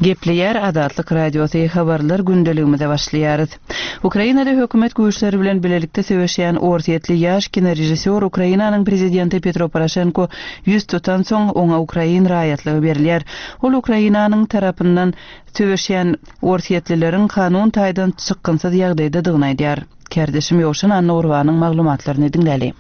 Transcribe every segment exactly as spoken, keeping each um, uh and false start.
Gepleýär Azatlyk Radiosy habarlar gündeligimize başlaýarys. Ukrainada hökümet güýçleri bilen bilelikde söweşýän orsýetli ýaş kinorežissýor Ukrainanyň prezidenti Petro Poroşenko ýüz tutansoň, oňa ukrain raýatlygy berilýär. Ol Ukrainanyň tarapyndan söweşýän orsýetlileriň kanun taýdan çykgynsyz ýagdaýdadygyny aýdýar. Kärdeşim Ýowşan Annagurbanyň maglumatlaryny diňläli.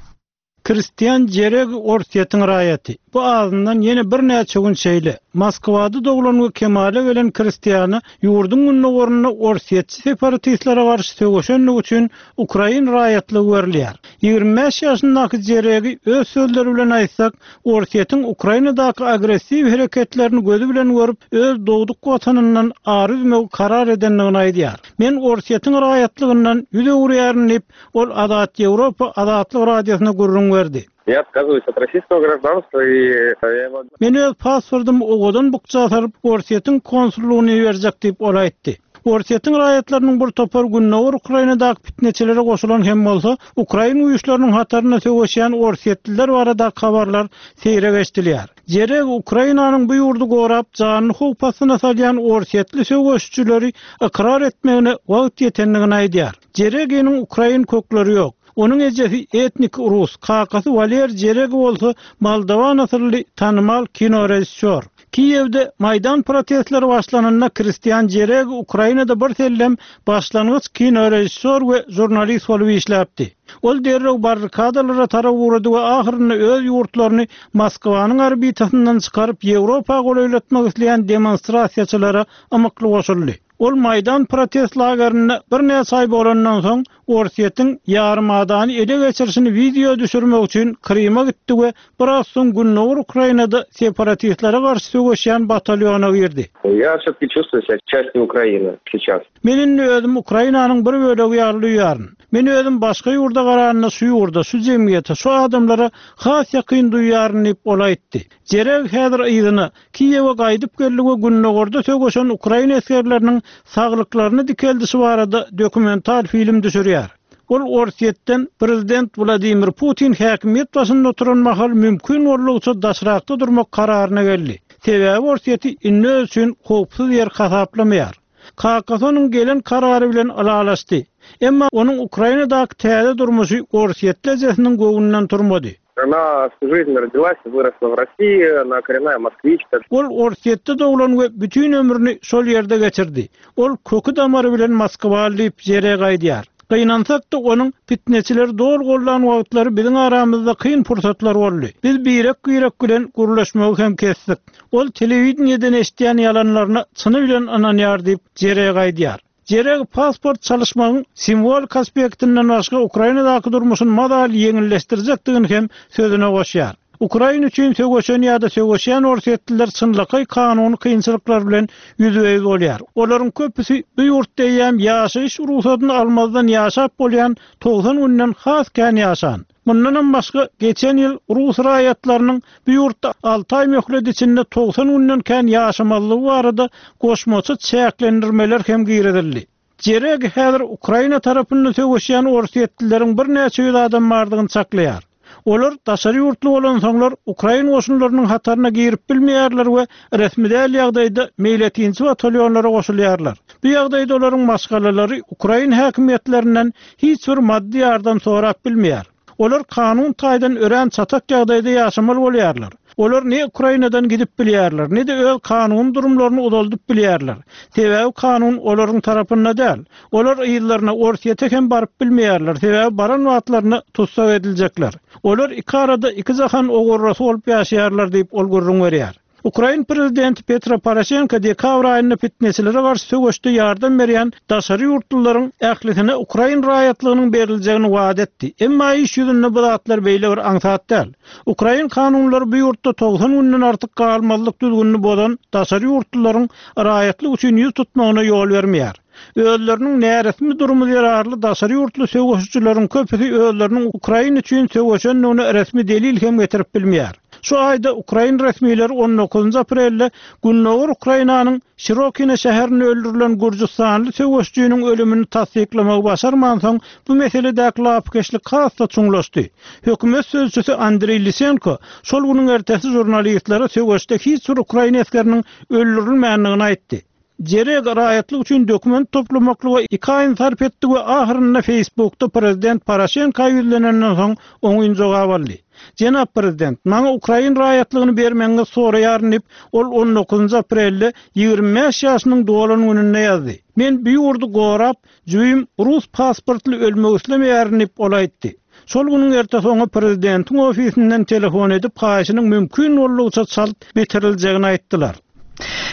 Kristian Jereg Orsýetiň raýaty. Bu azyndan ýene birnäçe gün şeýle. Moskwada doglan we kemala gelen Kristiana ýurduň gündogarynda orsýetçi separatistlere garşy söweşenligi üçin ukrain raýatlygy berilýär. Ýigrimi bäş ýaşyndaky Jeregi öz sözleri bilen aýtsak, Orsýetiň Ukrainadaky agressiw hereketlerini gözi bilen görüp, öz dogduk watanyndan ary üzmegi karar edendigini aýdýar. Men Orsýetiň raýatlygyndan ýüz öwürýärin diýip, ol Azat Ýewropa Azatlyk radiosyna gürrüň berdi. Я отказываюсь от российского гражданства и я его Men öz pasportymy owadan bukja salyp, Orsýetiň konsullygyna iberjek diýip ol aýtdy. Orsýetiň raýatlarynyň bir topar Gündogar Ukrainadaky pitneçilere goşulan hem bolsa, ukrain güýçleriniň hatarynda söweşýän orsýetliler baradaky habarlar seýrek eşidilýär. Jereg Ukrainanyň bu ýurdy gorap, janyny howp astyna salýan orsýetli söweşçileri ykrar etmegine wagt ýetendigini aýdýar. Jereginiň ukrain kökleri ýok. Onuň ejesi etnik rus, kakasy Waler Jereg bolsa moldowan asylly tanymal kinorežissýor. Kiýewde Maýdan protestleri başlananda Kristian Jereg Ukrainada bir sellem başlangyç kinorežissýor we žurnalist bolup işläpdi. Ol derrew barrikadalara tarap ugrady we ahyrynda öz ýurtlaryny Moskwanyň orbitasyndan çykaryp Ýewropa golaýlatmak isleýän demonstrasiýaçylara ymykly goşuldy. Ol Maýdan protest lagerinde birnäçe aý bolandan soň Orsýetiň ýarymadany ele geçirişini wideo düşürmek üçin Kryma gitdi we biraz soň Gündogar Ukrainada separatistlere garşy söweşýän batalýona girdi. Я все-таки чувствую себя частью Украины сейчас. Men indi özüm Ukrainanyň bir bölegi ýaly duýýaryn. Men özüm başga ýurda garanda şu ýurda, şu jemgyýete, şu adamlara has ýakyn duýýaryn diýip ol aýtdy. Jereg häzir yzyna Kiýewe gaýdyp geldi we Gündogarda söweşen ukrain esgerleriniň saglyklaryny dikeldişi barada dokumental film düşürýär. Ol Orsýetden prezident Wladimir Putin häkimiýet başynda oturan mahal mümkin boldugyça daşrakda durmak kararyna geldi. Sebäbi Orsýeti indi öz üçin howpsuz ýer hasaplamaýar. Kakasy onuň gelen karary bilen ylalaşdy. Emma onuň Ukrainadaky täze durmuşy Orsýetli ejesiniň göwnünden turmady. Она всю жизнь родилась и выросла в России, она коренная москвичка. Ol Orsýetde doglan we bütün ömrüni şol ýerde geçirdi. Ol köki damary bilen Moskwaly diýip Jereg aýdýar. Gynansak-da onuň pitneçileri dogry gollan wagtlary biziň aramyzda kyn pursatlar boldy. Biz birek-birek bilen gürleşmegi hem kesdik. Ol telewideniýeden eşidýän ýalanlaryna çyny bilen ynanýar diýip Jereg aýdýar. Jereg pasport çalyşmagyň simwolik aspektinden başga Ukrainadaky durmuşyny mazaly ýeňilleşdirjekdigini hem sözüne goşýar. Ukraina üçin söweşen ýa-da söweşýän orsýetliler çynlakaý kanuny kynçylyklar bilen ýüzbe-ýüz bolýar. Olaryň köpüsi bu ýurtda eýýäm ýaşaýyş ruhsatyny almazdan ýaşap bolýan togsan günden has kän ýaşan. Mundanam başga geçen ýyl rus raýatlarynyň bu ýurtda alty aý möhlet içinde togsan günden kän ýaşamazlygy barada goşmaça çäklendirmeler hem girizildi. Jereg häzir Ukraina tarapynda söweşýän orsýetlileriň birnäçe ýüz adam bardygyny çaklaýar. Olar daşary ýurtly bolansoňlar ukrain goşunlarynyň hataryna girip bilmeýärler we resmi däl ýagdaýda meýletinçi batalýonlara goşulýarlar. Bu ýagdaýda olaryň maşgalalary ukrain häkimiýetlerinden hiç bir maddy ýardam sorap bilmeýär. Olar kanun taýdan örän çatak ýagdaýda ýaşamaly bolýarlar. Olar ne Ukrainadan gidip bilýärler, ne-de öz kanun durumlaryny uzaldyp bilýärler. Sebäbi kanun olaryň tarapynda däl. Olar yzlaryna Orsýete hem baryp bilmeýärler, sebäbi baran wagtlaryna tussag ediljekler. Olar iki arada iki jahan ogurrasy bolup ýaşaýarlar diýip ol gürrüň berýär. Ukrain prezidenti Petro Poroşenko dekabr aýynda pitneçilere garşy söweşde ýardam berýän daşary ýurtlularyň ählisine ukrain raýatlygynyň beriljegini wada etdi. Emma iş ýüzünde bu zatlar beýle bir aňsat däl. Ukrain kanunlary bu ýurtda togsan günden artyk galmazlyk düzgünini bozan daşary ýurtlularyň raýatlyk üçin ýüz tutmagyna ýol bermeýär. Özleriniň näresmi durumy zerarly daşary ýurtly söweşçileriň köpüsi özleriniň Ukraina üçin söweşendigine resmi delil hem getirip bilmeýär. Şu aýda ukrain resmileri on dokuzynjy aprelde Gündogar Ukrainanyň Şirokina şäherinde öldürilen Gürjüstanly söweşçiniň ölümini tassyklamagy başarmansoň, bu meseledäki lapykeçlik has-da çuňlaşdy. Hökümet sözçüsi Andreý Lisenko şol günüň ertesi žurnalistlere söweşde hiç bir ukrain esgeriniň öldürilmändigini aýtdy. Jereg raýatlyk üçin dokument toplamaklyga iki aýyny sarp etdi we ahyrynda Facebookda prezident Poroşenko ýüzlenenden soň oňyn jogap aldy. Jenap prezident, maňa Ukrain raýatlygyny bermegiňizi soraýaryn diýip, ol on dokuzynjy aprelde ýigrimi bäş ýaşynyň dolan gününde ýazdy. Men bu ýurdy gorap, jübim rus pasportly ölmek islemeýärin diýip ol aýtdy. Şol günüň ertesi oňa prezidentiň ofisinden telefon edip, haýyşynyň mümkin boldugyça çalt bitiriljegini aýtdylar.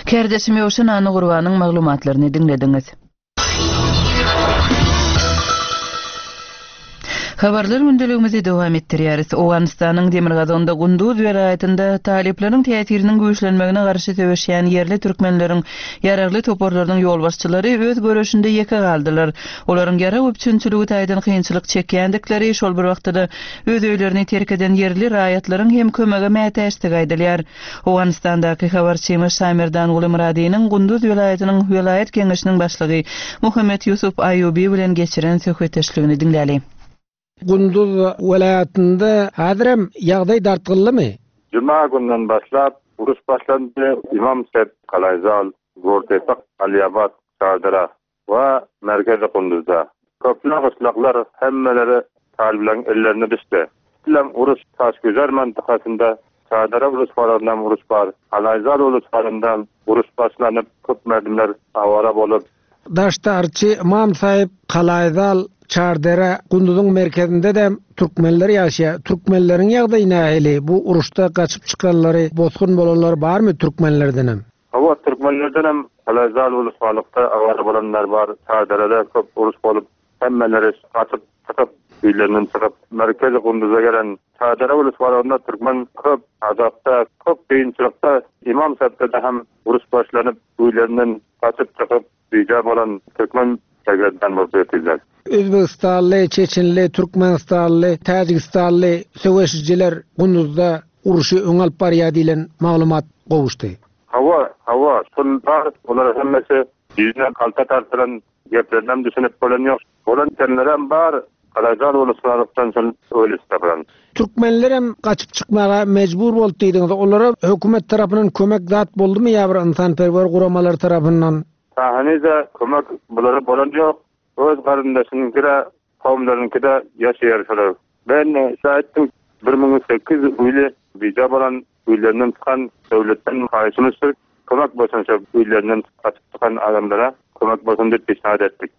Kärdeşim Ýowşan Annagurbanyň maglumatlaryny diňlediňiz. Habarlar gündeligimizi dowam etdirýäris. Owganystanyň demirgazygynda Gunduz welaýatynda talyplaryň täsiriniň güýçlenmegine garşy söweşýän ýerli türkmenleriň ýaragly toparlarynyň ýolbaşçylary öz göreşinde ýeke galdylar. Olaryň ýarag üpjünçiligi taýdan kynçylyk çekýändikleri, şol bir wagtda öz öýlerini terk eden ýerli raýatlaryň hem kömege mätäçdigi aýdylýar. Owganystandaky habarçymyz Şamerdan Gulymyradynyň Gunduz welaýatynyň welaýat geňeşiniň başlygy Muhammet Ýusuf Aýubi bilen geçiren söhbetdeşligini diňläli. Gunduz welaýatynda häzirem ýagdaý dartgynlymy? Juma günden başlap uruş başlandy. Imam Sep, Kalaýzal, Gortepak, Aliabat, Çardara we merkezi Gunduzda. Köpler gyşlaklar hemmeleri talyplaryň ellerine düşdi. Bilen uruş Taşgüzer mantykasynda Çardara uruş uruş bar. Kalaýzal uruş uruş başlanyp köp merdimler awara bolup. Daştarçy Imam Sahip, Kalaýzal, Çardara, Gunduzyň merkezinde de türkmenler ýaşaýar. Türkmenleriň ýagdaýy nähili? Bu uruşda gaçyp çykanlary, bosgun bolanlar barmy türkmenlerden hem? Hawa, türkmenlerden hem Kalaýzal ulusgalykda awara bolanlar bar. Çardarada köp uruş bolup, hemmeleri gaçyp çykyp, öýlerinden çykyp, merkezi Gunduza gelen Çardara ulusgalygynda türkmen köp azapda, köp kynçylykda Imam Sahipde hem uruş başlanyp, öýlerinden gaçyp çykyp, bija bolan türkmen sergezdan bolup ýetdiler. Özbegistanly, Çeçenli, Türkmenistanly, Täjigistanly söweşijiler Gunduzda uruşy öň alyp barýar diýlen maglumat gowuşdy. Hawa, hawa, şol bar, olar hemmesi ýüzüne kalta tartylan geplerinden düşünip bolan ýok. Bolan tenlerem bar, Kalaýzal uluslarylykdan şol öýle tapylan. Türkmenler hem gaçyp çykmaga mejbur boldy diýdiňiz. Olara hökümet tarapyndan kömek zat boldumy ýa bir ynsanperwer guramalar tarapyndan? Sahanyza kömek bulara bolan ýok. Öz garyndaşynyňkyda, kowumlaryňkyda ýaşaýar şolar. Ben şaýtdym, bir müň sekiz ýüz öýli bija bolan öýlerinden çykan döwletden haýyşymyz kömek bolsun şo öýlerinden gaçyp çykan adamlara kömek bolsun diýip peşnat etdik.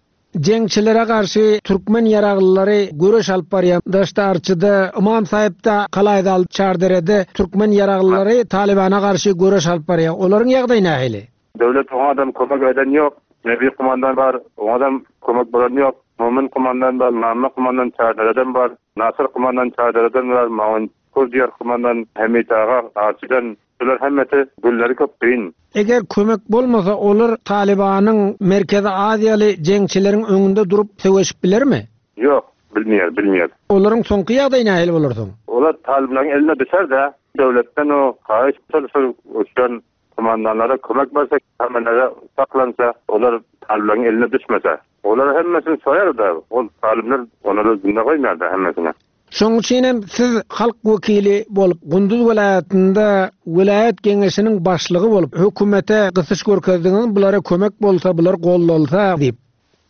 Jeňçilere garşy türkmen ýaraglylary göreş alyp barýan Daştarçyda, Imam Sahipde, Kalaýzal, Çarderede türkmen ýaraglylary Talibana garşy göreş alyp barýar. Olaryň ýagdaýy nähili? Döwlet oňa adam kömek eden ýok. Nebi kumandan bar, oňa adam kömek bolan ýok. Momin kumandan bar, Mamma kumandan Çardereden bar, Nasır kumandan Çardereden bar, Maun Kurdiýar kumandan Hamid aga Arçydan. Bular hemmesi gülleri köp kyn. Eger kömek bolmasa olar Talibanyň Merkezi Aziýaly jeňçileriň öňünde durup söweşip bilermi? Ýok, bilmeýär, bilmeýär. Olaryň soňky ýagdaýy nähili bolar soň? Olar Talibanyň eline düşer-de, döwletden o haýyş şol uçan kumandanlara kömek berse, hemmelere saklansa, olar Talibanyň eline düşmese. Olar hemmesini soýar-da, ol Talibler onları zinde goýmaýar-da hemmesini. Şonuň üçin hem siz halk wekili bolup, Gunduz welaýatynda welaýat geňeşiniň başlygy bolup, hökümete gysyş görkezdiňiz, bulara kömek bolsa, bular gollalsa diýip.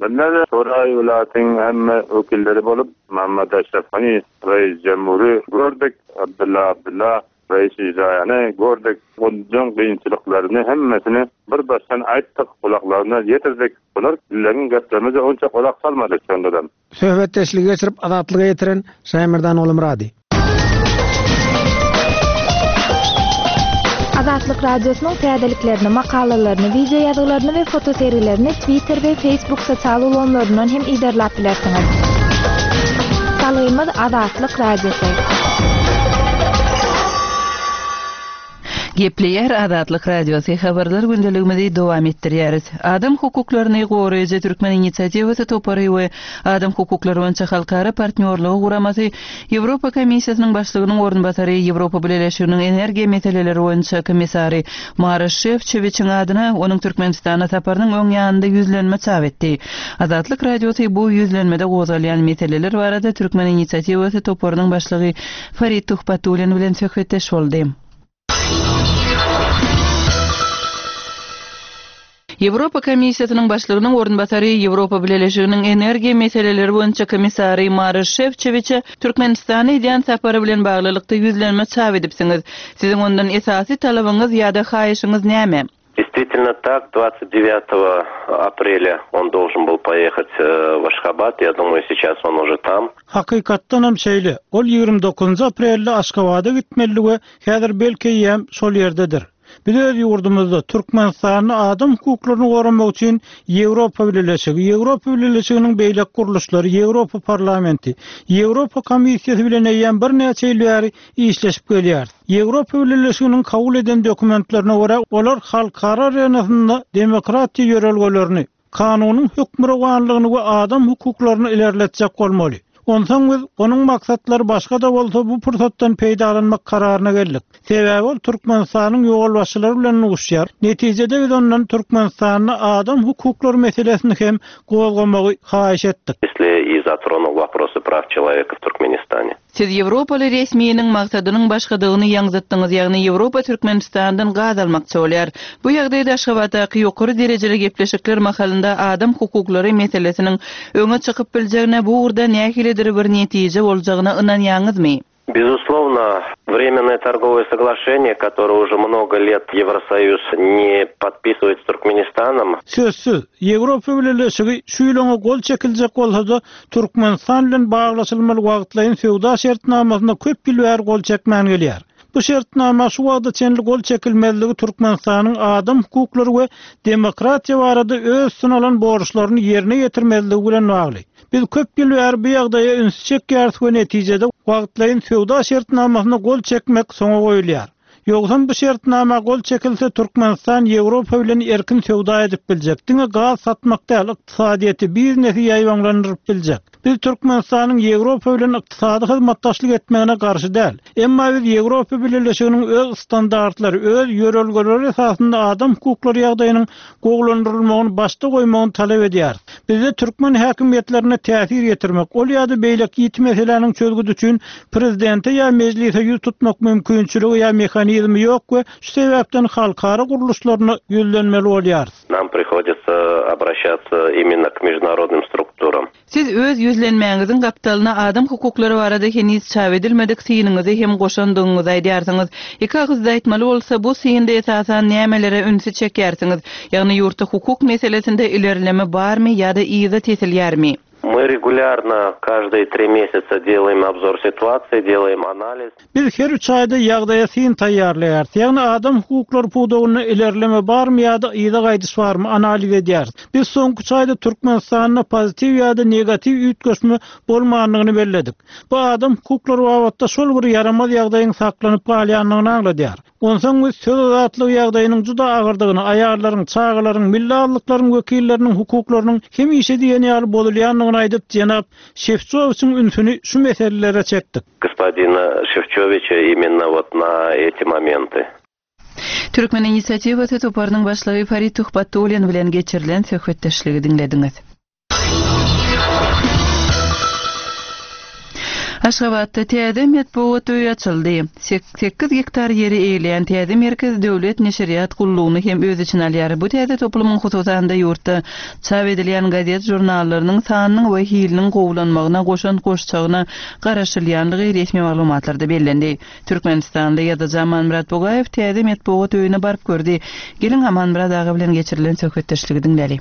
Bunlar Soray welaýatyň hemme wekilleri bolup, Muhammed Aşraf Gani reis cemhuri gördük, Abdullah Abdullah reis icraýany gördük. Gunduzyň kynçylyklaryny hemmesini bir başdan aýtdyk, kulaklaryna ýetirdik. Bular dillerin geplerimize onça kulak salmadyk şondan. Söhbetdeşligi geçirip azatlyga ýetiren Şaýmerdan Oglumyrady. Azatlyk Radiosynyň täzeliklerini, makalalaryny, video ýazgylaryny we fotosergilerini Twitter we Facebook sosial ulgamlaryndan hem iderläp bilersiňiz. Salgymyz Azatlyk Radiosy. Gepleýär Azatlyk Radiosy habarlar gündeligimizi dowam etdirýäris. Adam hukuklaryny goraýjy Türkmen inisiatiwasy topary we Adam hukuklary boýunça halkara partnýorlygy guramasy Ýewropa Komissiýasynyň başlygynyň orunbasary Ýewropa Bileleşiginiň energiýa meseleleri boýunça komissary Maroş Şefçowiçiň adyna onuň Türkmenistana saparynyň öň ýanynda ýüzlenme çap etdi. Azatlyk Radiosy bu ýüzlenmede gozgalýan meseleler barada Türkmen inisiatiwasy toparynyň başlygy Farid Tuhbatullin bilen söhbetdeş boldy. Ýewropa Komissiýasynyň başlygynyň orunbasary, Ýewropa Bileleşiginiň energiýa meseleleri boýunça komissary Maroş Şefçowiçe Türkmenistana edýän sapary bilen baglylykda ýüzlenme çap edipsiňiz. Siziň ondan esasy talabyňyz ýa-da haýyşyňyz näme? Действительно так, двадцать девятого aprelya он должен был поехать в Ашхабад. Я думаю, сейчас он уже там. Hakykatdanam şeýle. Ol ýigrimi dokuzynjy aprelde Aşgabada gitmeli we häzir belki eýýäm şol ýerdedir. Biz öz ýurdumyzda Türkmenistanyň adam hukuklaryny goramak üçin Ýewropa Bileleşigi, Ýewropa Bileleşiginiň beýleki gurluşlary, Ýewropa Parlamenti, Ýewropa Komissiýasy bilen eýýäm birnäçe ýyl bäri işleşip gelýär. Ýewropa Bileleşiginiň kabul eden dokumentlerine görä, olar halkara arenasynda demokratiýa ýörelgelerini, kanunyň hökmürowanlygyny we adam hukuklaryny ilerletjek bolmaly. Onsoň biz onuň maksatlary başga-da bolsa bu pursatdan peýdalanmak kararyna geldik. Sebäbi ol Türkmenistanyň ýolbaşçylary bilen duşýar. Netijede biz ondan Türkmenistanyň adam hukuklary meselesini hem gozgamagy haýyş etdik. Если и затронул вопросы прав человека в Туркменистане. Siz Ýewropaly resminiň maksadynyň başgadygyny ýaňzytdyňyz, ýagny Ýewropa Türkmenistandan gaz almakçy bolýar. Bu ýagdaýda Aşgabatdaky ýokary derejeli gepleşikler mahalynda adam hukuklary meselesiniň öňe çykyp biljegine, bu ugurda nähilidir bir netije boljagyna ynanýaňyzmy? Безусловно, временное торговое соглашение, которое уже много лет Евросоюз не подписывает с Туркменистаном. Sözsüz, Ýewropa Bileleşigi şu ýylyň gol çekiljek bolsa-da Türkmenistan bilen baglaşylmaly wagtlaýyn söwda şertnamasyna köp ýyl bäri gol çekmän gelýär. Bu şertnama şu wagta çenli gol çekilmezligi Türkmenistanyň adam hukuklary we demokratiýa barada öz üstüne alan borçlaryny ýerine ýetirmezligi bilen bagly. Biz köp ýyl bäri bu ýagdaýa üns çekýäris we netijede wagtlaýyn söwda şertnamasyna gol çekmek soňa goýulýar. Ýogsam bu şertnama gol çekilse Türkmenistan Ýewropa bilen erkin söwda edip biljek. Diňe gaz satmak däl, ykdysadyýeti, biznesi ýaýbaňlandyryp biljek. Biz Türkmenistanyň Ýewropa bilen ykdysady hyzmatdaşlyk etmegine garşy däl. Emma biz Ýewropa Bileleşiginiň öz standartlary, öz ýörelgeleri esasynda adam hukuklary ýagdaýynyň gowulandyrylmagyny başda goýmagyny talap edýäris. Bizde türkmen häkimiýetlerine täsir ýetirmek, ol ýa-da beýleki ýiti meseläniň çözgüdi üçin prezidente ýa mejlise ýüz tutmak mümkinçiligi ýa mehanizmi ýok we şu sebäpden halkara gurluşlaryna ýüzlenmeli bolýarys. Нам приходится обращаться именно к международным структурам. Siz öz ýüzlenmäňiziň gapdalyna adam hukuklary barada heniz çap edilmedik synyňyzy hem goşandygyňyzy aýdýarsyňyz. Iki agyzda aýtmaly bolsa, bu synda esasan nämelere ünsi çekýärsiňiz? Ýagny ýurtda hukuk meselesinde ilerleme barmy ýa-da yza tesilýärmi? Мы регулярно каждые три месяца делаем обзор ситуации, делаем анализ. Biz her üç aýda ýagdaýa syn taýýarlaýarys. Ýagny adam hukuklary pudagynda ilerleme barmy ýa-da yza gaýdyş barmy analiz edýäris. Biz soňky üç aýda Türkmenistanda pozitiw ýa-da negatiw üýtgeşme bolmandygyny belledik. Bu adam hukuklary babatda şol bir ýaramaz ýagdaýyň saklanyp galýandygyny aňladýar. Onsoň biz söz azatlygy ýagdaýynyň juda agyrdygyny, aýallaryň, çagalaryň, milli azlyklaryň wekilleriniň hukuklarynyň hemişe diýen ýaly bozulýandygyny aýdyp, jenap Şefçowiçiň ünsüni şu meselelere çekdik. Господина Шефчовича именно вот на эти моменты. Türkmen inisiatiwasy toparynyň başlygy Farid Tuhbatullin bilen geçirilen söhbetdeşligi diňlediňiz. Aşgabatda täze metbugat öýi açyldy. Sekiz gektar ýeri eýeleýän täze merkez döwlet neşirýat gullugyny hem öz içine alýar. Bu täze toplumyň hususan-da ýurtda çap edilýän gazet žurnallarynyň sanynyň we hiliniň gowulanmagyna goşan goşçagyna garaşylýanlygy resmi maglumatlarda bellendi. Türkmenistanda ýazyjy Amanmyrat Bugaýew täze metbugat öýüne baryp gördi. Geliň Amanmyrat aga bilen geçirilen söhbetdeşligi diňläli.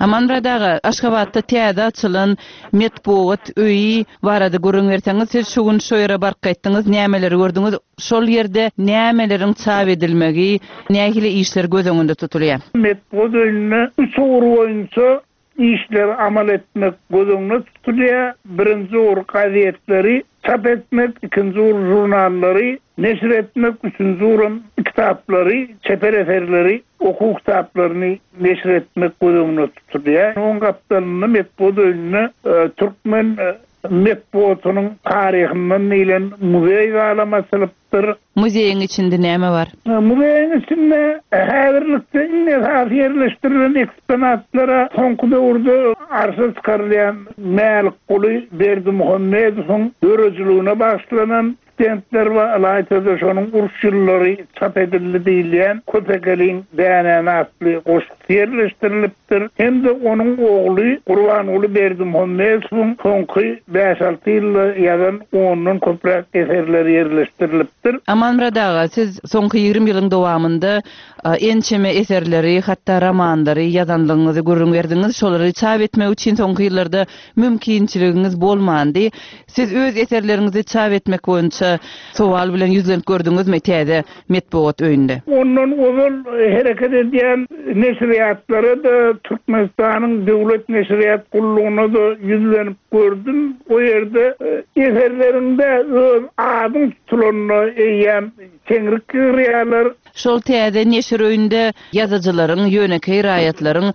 Amanmyrat aga, Aşgabatda täze açylan metbugat öýi barada gürrüň berseňiz, siz şu gün şu ýere baryp gaýtdyňyz, nämeleri gördüňiz? Şol ýerde nämeleriň çap edilmegi, nähili işler göz öňünde tutulýar? Metbugat öýüne üç ugur boýunça işler amal etmek göz öňünde tutulýar. Birinji ugur gazetleri çap etmek, ikinji ugur jurnallary neşir etmek, üçünji ugur kitaplary, çeper eserleri, okuw kitaplaryny neşir etmek göz öňünde tutulýar. Onuň gapdalynda metbugat öýünde, e, türkmen, e, metbugatynyň taryhyndan diýlen muzeý galam açylypdyr. Muzeýiň içinde näme bar? E, muzeýiň içinde häzirlikde iň esasy ýerleşdirilen eksponatlara soňky döwürde arşa çykarylýan Mälikguly Berdimuhamedowyň döredijiligine bagyşlanan stendler bar, ylaýta-da şonuň uruş ýyllary çap edildi diýilýän Köpekeliň dänäni atly goşgusy ýerleşdirilipdir hem-de onuň ogly Gurbanguly Berdimuhamedowyň soňky bäş-alty ýylda ýazan ondan köpräk eserleri ýerleşdirilipdir. Amanmyrat aga, siz soňky ýigrimi ýylyň dowamynda ençeme eserleri, hatda romanlary ýazanlygyňyzy gürrüň berdiňiz. Şolary çap etmek üçin soňky ýyllarda mümkinçiligiňiz bolmandy. Siz öz eserleriňizi çap etmek boýunça sowal bilen ýüzlenip gördüňizmi täze metbugat öýünde? Ondan ozal hereket edýän neşirýatlara-da, Türkmenistanyň döwlet neşirýat gullugyna-da ýüzlenip gördüm. O ýerde eserleriňde öz adyň tutulanyna eýýäm çeňrik ýygyrýarlar. Şol täze neşir öýünde ýazyjylaryň, ýönekeý raýatlaryň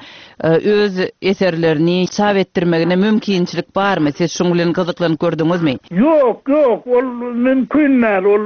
öz eserlerini çap etdirmegine mümkinçilik barmy? Siz şuň bilen gyzyklanyp gördüňizmi? Ýok, ýok, ol mümkin däl. Ol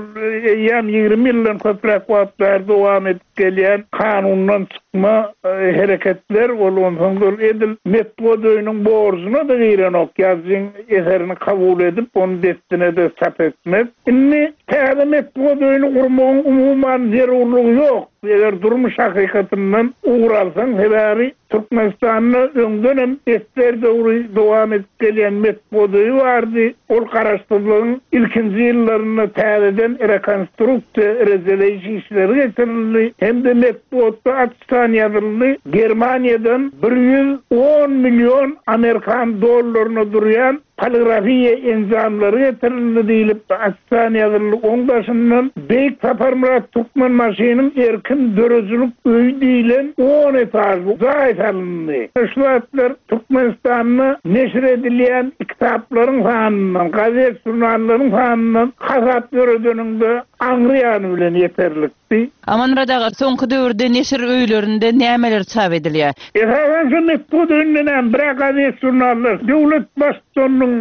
eýýäm ýigrimi ýyldan köpräk wagt bäri dowam edip gelýän kanundan çykma hereketler, ol onsoň ol edil metbugat öýüniň borjuna-da girenok, ýazyjyň eserini kabul edip, ony dessine-de çap etmek. Indi täze metbugat öýüni gurmagyň umuman zerurlygy ýok. Eger durmuş hakykatyndan ugur alsaň, sebäbi Türkmenistanda öňden hem esger döwri dowam edip gelýän metbugat öýi bardy. Ol garaşsyzlygyň ilkinji ýyllarynda täzeden rekonstruksiýa, rejeleýiş işleri geçirildi hem-de metbugatda açyşdan ýazyldy. Germaniýadan bir ýüz on million amerikan dollaryna durýan poligrafiýa enjamlary getirildi diýlip açyşdan ýazyldy. Oň daşyndan Beýik Saparmyrat Türkmenbaşynyň erkin döredijilik öýi diýlen on etažly jaý salyndy. Şu zatlar Türkmenistanda neşir edilýän kitaplaryň sanyndan, gazet žurnallaryň sanyndan hasap ýöredeniňde aňry ýany bilen ýeterlikdi. Amanmyrat aga, soňky döwürde neşir öýlerinde nämeler çap edilýär? Esasan şu metbugat öýünden hem bir gazet žurnallar, döwlet baştutanynyň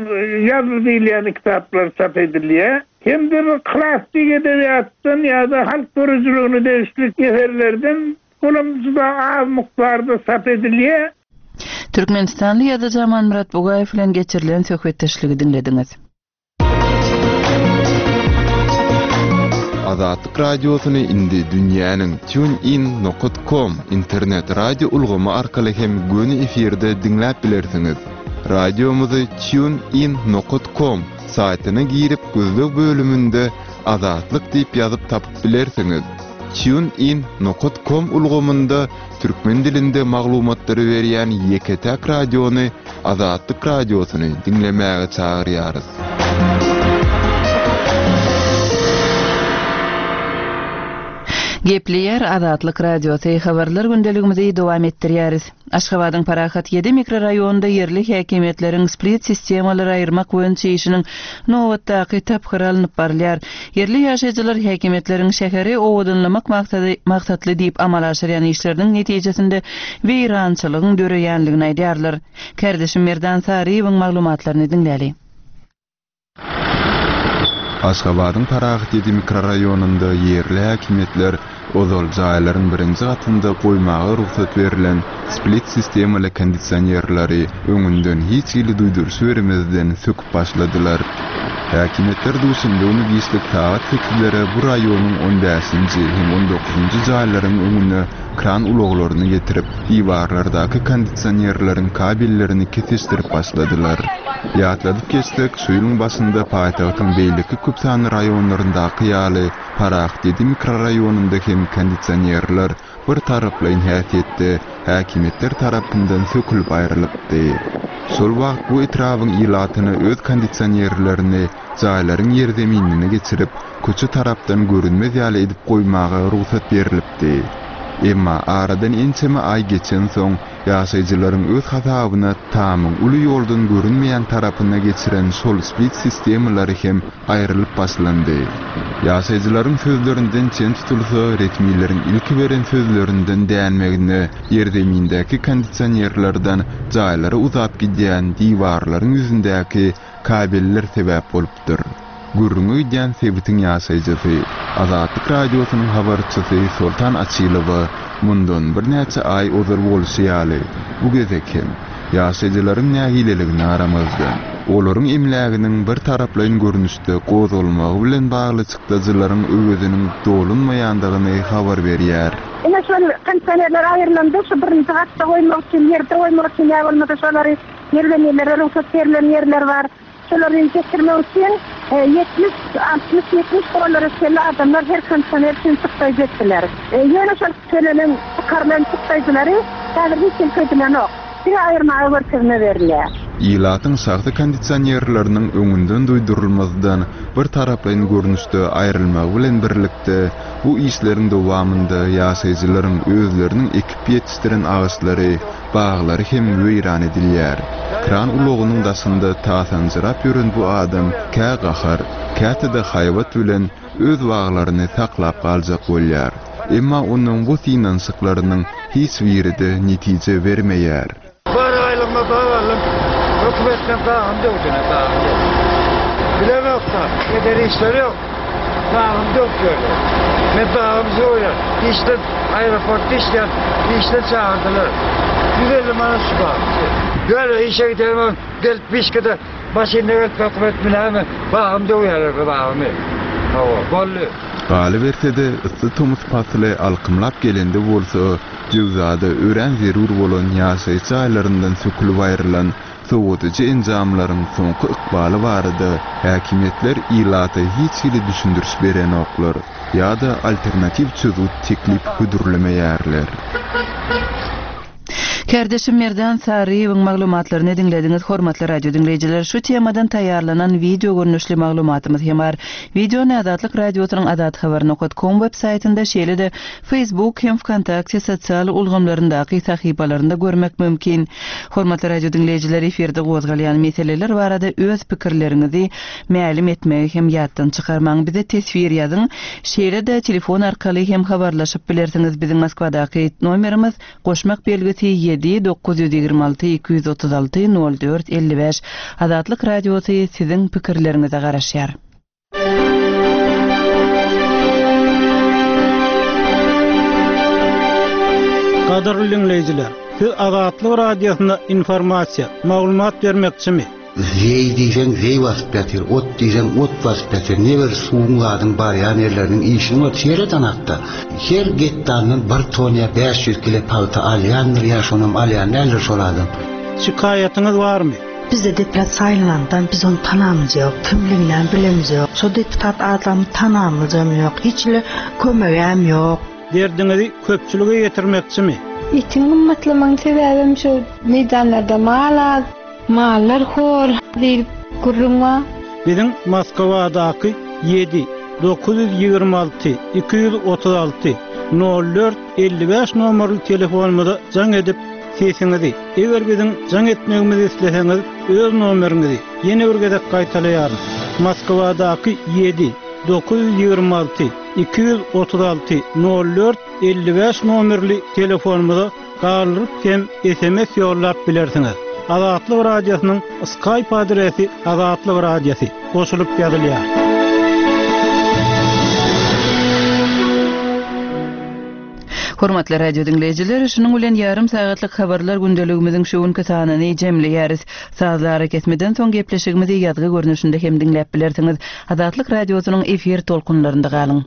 ýazdy diýilýän kitaplar çap edilýär. Hem de bir klassyk edebiýatdan ýa-da halk döredijiligine degişli eserlerden olam juda az mukdarda çap edilýär. Türkmenistanly ýazyjy Amanmyrat Bugaýew bilen geçirilen söhbetdeşligi diňlediňiz. Azatlyk radiosyny indi dünýäniň tunein nokta com internet radio ulgamy arkaly hem göni efirde diňläp bilersiňiz. Radiomyzy tunein nokta com saýtyna girip gözleg bölüminde Azatlyk diýip ýazyp tapyp bilersiňiz. Tunein nokta com ulgamynda türkmen dilinde maglumatlary berýän ýeke-täk radiony Azatlyk radiosyny diňlemäge çagyrýarys. Gepleýär Azatlyk radiosy habarlar gündeligimizi dowam etdirýäris. Aşgabadyň Parahat ýedi mikroraýonynda ýerli häkimiýetleriň split sistemalary aýyrmak boýunça işiniň nobatdaky tapgyry alnyp barylýar. Ýerli ýaşaýjylar häkimiýetleriň şäheri owadanlamak maksady maksatly diýip amala aşyrýan işleriniň netijesinde weýrançylygyň döreýänligini aýdýarlar. Kardeşim Merdan Saryýewiň maglumatlaryny diňläli. Aşgabadyň Parahat ýedi mikroraýonynda ýerli häkimiýetler ozal jaýlaryň birinji gatynda goýmaga rugsat berlen split sistemaly kondisionerleri öňünden hiç hili duýduryş bermezden söküp başladylar. Häkimiýetler duşenbe güni giçlik sagat sekizlere bu raýonyň on bäşinji hem on dokuzynjy jaýlaryň öňüne kran ulaglaryny getirip, diwarlardaky kondisionerleriň kabellerini kesişdirip başladylar. Ýatladyp geçsek, şu ýylyň başynda paýtagtyň beýleki köp sanly raýonlaryndaky ýaly Parahat ýedi mikroraýonynda hem kondisionerler bir taraplaýyn häsiýetde häkimiýetler tarapyndan sökülip aýrylypdy. Şol wagt bu etrabyň ilatyna öz kondisionerlerini jaýlaryň ýerzeminine geçirip, köçe tarapdan görünmez ýaly edip goýmaga rugsat berilipdi. Emma aradan ençeme aý geçen soň ýaşaýjylaryň öz hasabyna tamyň uly ýoldan görünmeýän tarapyna geçiren şol split sistemalary hem aýrylyp başlandy. Ýaşaýjylaryň sözlerinden çen tutulsa, resmileriň ilki beren sözlerinden dänmegine ýerzemindäki kondisionerlerden jaýlara uzap gidýän diwarlaryň ýüzündäki kabeller sebäp bolupdyr. Gürrüňe gidýän sebitiň ýaşaýjysy, Azatlyk radiosynyň habarçysy Soltan Açylowa mundan birnäçe aý ozal bolşy ýaly, bu gezek hem Ýaşaýjylaryň nägileligine garamazdan, olaryň emläginiň bir taraplaýyn görnüşde gozgalmagy bilen bagly çykdajylaryň öweziniň dolunmaýandygyny habar berýär. Ine şol kondisionerler aýrylanda şu birinji gatda goýmak üçin, ýerde goýmak üçin ýa bolmasa şolary ýerden ýerlere rugsat berlen ýerler bar. Şolary getirmek üçin ýetmiş, altmyş, ýetmiş dollara çenli adamlar her kondisioner üçin çykdaýjy etdiler. Ýöne şol tölenen, çykarylan çykdaýjylary häzir hiç kim köýdülenok. Diňe aýyrmaga görkezme berilýär. Ilatyň şahsy kondisionerleriniň öňünden duýdurylmazdan bir taraplaýyn görnüşde aýrylmagy bilen birlikde bu işleriň dowamynda ýaşaýjylaryň özleriniň ekip ýetişdiren agaçlary, baglary hem weýran edilýär. Kran ulagynyň daşynda tasanjyrap ýören bu adam kä gahar, käte-de haýbat bilen öz baglaryny saklap galjak bolýar. Emma onuň bu synanyşyklarynyň hiç biri-de netije bermeýär. Bar aýlygma bag aldym. Hökümetden bagym döwdüne, bagym döwdü. Bilemok da, eder işleri ýok. Bagym döwdüler. Men bagym soýar. Işden aeroportda işleýän, işden çagyrdylar. Ýüz elli manat şu bag. Ýöne işe giderim, gelip bişkede maşynda gelip hökümet bilämi, bagym döwýärler bagymy. Hawa, boldy. Galyberse-de, yssy tomus pasly alkymlap gelende bolsa, jöwzada örän zerur bolan ýaşaýyş jaýlaryndan sökülip aýrylan sowadyjy enjamlaryň soňky ykbaly barada häkimiýetler ilata hiç hili düşündiriş berenoklar ýa-da alternatiw çözgüt teklip hödürlemeýärler. Kärdeşim Merdan Saryýewiň maglumatlaryny diňlediňiz, hormatly radio diňleýjiler. Şu temadan taýýarlanan wideo görnüşli maglumatymyz hem bar. Wideony Azatlyk Radiosynyň azathabar nokta com web saýtynda, şeýle-de Facebook hem VKontakte sosial ulgamlaryndaky sahypalarynda görmek mümkin. Hormatly radio diňleýjiler, efirde gozgalýan meseleler barada öz pikirleriňizi mälim etmegi hem ýatdan çykarmaň. Bize teswir ýazyň. Şeýle-de telefon arkaly hem habarlaşyp bilersiňiz. Biziň Moskwadaky nomerimiz goşmak belgisi ýedi dokuz ýüz ýigrimi alty iki ýüz otuz alty nol dört elli bäş. Azatlyk Radiosy siziň pikirleriňize garaşýar. Gadyrly diňleýjiler, siz Azatlyk Radiosyna informasiýa, maglumat bermekçimi? Zeý diýseň zeý basyp ýatyr, ot diýseň ot basyp ýatyr. Ne bir suwuň zadyň barýan ýerleriniň işini bar, seret anakda. Her gektardan bir ton ýa bäş ýüz kilo pagta alýandyr ýa şonam alýan däldir şol adam. Şikaýatyňyz barmy? Bizde deputat saýlanandan biz onu tanamyz ýok, kimliginden bilemiz ýok. Şo deputat adamy tanamyzam ýok, hiç hili kömegem ýok. Derdiňizi köpçülige ýetirmekçimi? Etiň gymmatlamagyň sebäbim şu meýdanlarda mal az, mallar hor diýip gürrüň bar. Biziň Moskwadaky ýedi dokuz ýüz ýigrimi alty iki ýüz otuz alty nol dört elli bäş nomerli telefonymyza jaň edip sesiňizi, eger biziň jaň etmegimizi isleseňiz, öz nomeriňizi ýene bir gezek gaýtalaýaryn. Moskwadaky ýedi dokuz ýüz ýigrimi alty iki ýüz otuz alty nol dört elli bäş nomerli telefonymyza galdyryp hem S M S ýollap bilersiňiz. Azatlyk Radiosynyň Skype adresi Azatlyk Radiosy goşulyp ýazylýar. Hormatly radio diňleýjiler, şunuň bilen ýarym sagatlyk habarlar gündeligimiziň şu günki sanyny jemleýäris. Sazly arakesmeden soň gepleşigimizi ýazgy görnüşinde hem diňläp bilersiňiz. Azatlyk Radiosynyň efir tolkunlarynda galyň.